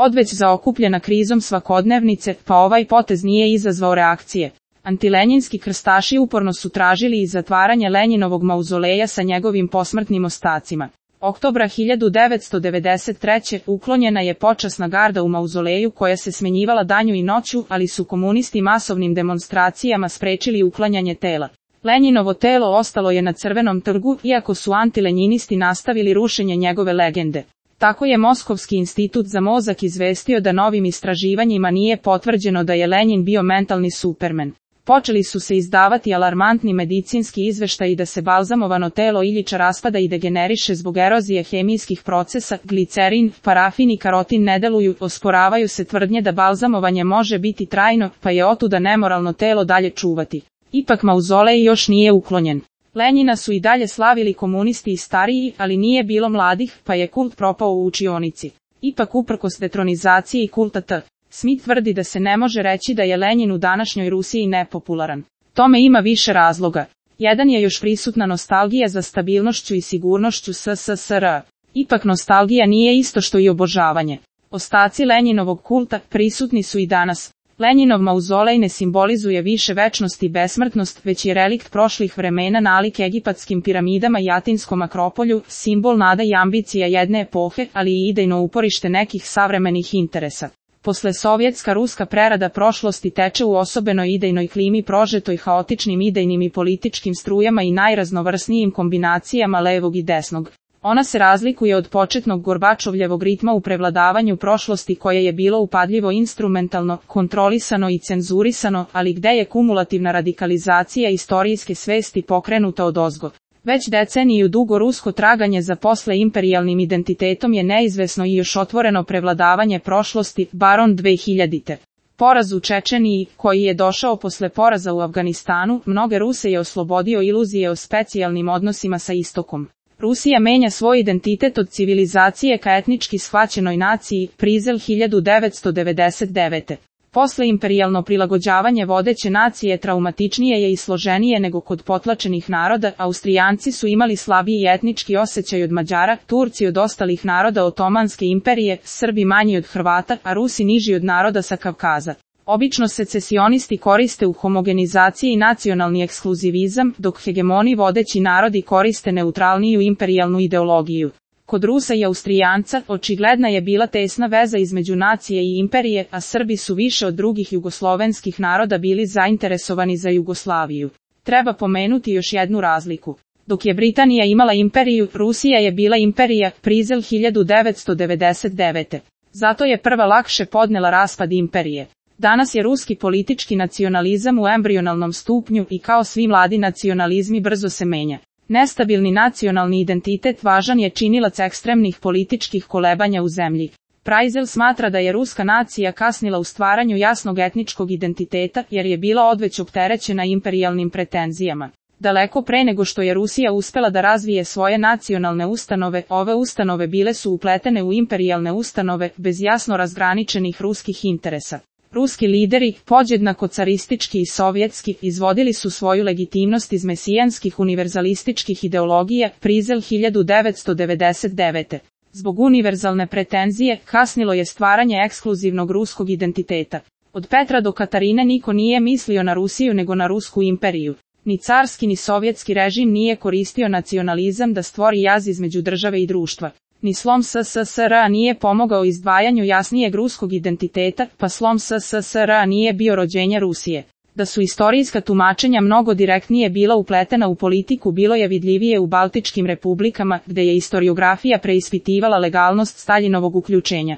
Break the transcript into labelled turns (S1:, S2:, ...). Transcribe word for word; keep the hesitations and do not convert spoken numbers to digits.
S1: Odveć zaokupljena krizom svakodnevnice, pa ovaj potez nije izazvao reakcije. Antilenjinski krstaši uporno su tražili i zatvaranje Lenjinovog mauzoleja sa njegovim posmrtnim ostacima. Oktobra hiljadu devetsto devedeset treće. uklonjena je počasna garda u mauzoleju koja se smenjivala danju i noću, ali su komunisti masovnim demonstracijama sprečili uklanjanje tela. Lenjinovo telo ostalo je na Crvenom trgu, iako su antilenjinisti nastavili rušenje njegove legende. Tako je Moskovski institut za mozak izvestio da novim istraživanjima nije potvrđeno da je Lenjin bio mentalni supermen. Počeli su se izdavati alarmantni medicinski izveštaji da se balzamovano telo Iljiča raspada i degeneriše zbog erozije hemijskih procesa, glicerin, parafin i karotin ne deluju, osporavaju se tvrdnje da balzamovanje može biti trajno, pa je otuda nemoralno telo dalje čuvati. Ipak mauzolej još nije uklonjen. Lenjina su i dalje slavili komunisti i stariji, ali nije bilo mladih, pa je kult propao u učionici. Ipak uprkos detronizaciji i kulta T. Smith tvrdi da se ne može reći da je Lenjin u današnjoj Rusiji nepopularan. Tome ima više razloga. Jedan je još prisutna nostalgija za stabilnošću i sigurnošću S S S R. Ipak nostalgija nije isto što i obožavanje. Ostaci Lenjinovog kulta prisutni su i danas. Lenjinov mauzolej ne simbolizuje više večnost i besmrtnost, već je relikt prošlih vremena nalik egipatskim piramidama i atinskom akropolju, simbol nada i ambicija jedne epohe, ali i idejno uporište nekih savremenih interesa. Posle sovjetska ruska prerada prošlosti teče u osobenoj idejnoj klimi prožetoj haotičnim idejnim i političkim strujama i najraznovrsnijim kombinacijama levog i desnog. Ona se razlikuje od početnog Gorbačovljevog ritma u prevladavanju prošlosti koje je bilo upadljivo instrumentalno, kontrolisano i cenzurisano, ali gde je kumulativna radikalizacija istorijske svesti pokrenuta odozgo. Već deceniju dugo rusko traganje za posleimperijalnim identitetom je neizvesno i još otvoreno prevladavanje prošlosti, baron dve hiljadite. Poraz u Čečeniji, koji je došao posle poraza u Afganistanu, mnoge Ruse je oslobodio iluzije o specijalnim odnosima sa istokom. Rusija menja svoj identitet od civilizacije ka etnički shvaćenoj naciji, Prizel hiljadu devetsto devedeset devete. Posleimperijalno prilagođavanje vodeće nacije traumatičnije je i složenije nego kod potlačenih naroda, Austrijanci su imali slabiji etnički osjećaj od Mađara, Turci od ostalih naroda Otomanske imperije, Srbi manji od Hrvata, a Rusi niži od naroda sa Kavkaza. Obično secesionisti koriste u homogenizaciji nacionalni ekskluzivizam, dok hegemoni vodeći narodi koriste neutralniju imperijalnu ideologiju. Kod Rusa i Austrijanca očigledna je bila tesna veza između nacije i imperije, a Srbi su više od drugih jugoslovenskih naroda bili zainteresovani za Jugoslaviju. Treba pomenuti još jednu razliku. Dok je Britanija imala imperiju, Rusija je bila imperija, Prizel hiljadu devetsto devedeset devete. Zato je prva lakše podnela raspad imperije. Danas je ruski politički nacionalizam u embrionalnom stupnju i kao svi mladi nacionalizmi brzo se menja. Nestabilni nacionalni identitet važan je činilac ekstremnih političkih kolebanja u zemlji. Prizel smatra da je ruska nacija kasnila u stvaranju jasnog etničkog identiteta jer je bila odveć opterećena imperijalnim pretenzijama. Daleko pre nego što je Rusija uspela da razvije svoje nacionalne ustanove, ove ustanove bile su upletene u imperijalne ustanove bez jasno razgraničenih ruskih interesa. Ruski lideri, podjednako caristički i sovjetski, izvodili su svoju legitimnost iz mesijanskih univerzalističkih ideologija, Prizel hiljadu devetsto devedeset devete. Zbog univerzalne pretenzije, kasnilo je stvaranje ekskluzivnog ruskog identiteta. Od Petra do Katarine niko nije mislio na Rusiju nego na Rusku imperiju. Ni carski ni sovjetski režim nije koristio nacionalizam da stvori jaz između države i društva. Ni slom S S S R nije pomogao izdvajanju jasnijeg ruskog identiteta, pa slom S S S R nije bio rođenje Rusije. Da su istorijska tumačenja mnogo direktnije bila upletena u politiku bilo je vidljivije u Baltičkim republikama, gde je istoriografija preispitivala legalnost Staljinovog uključenja.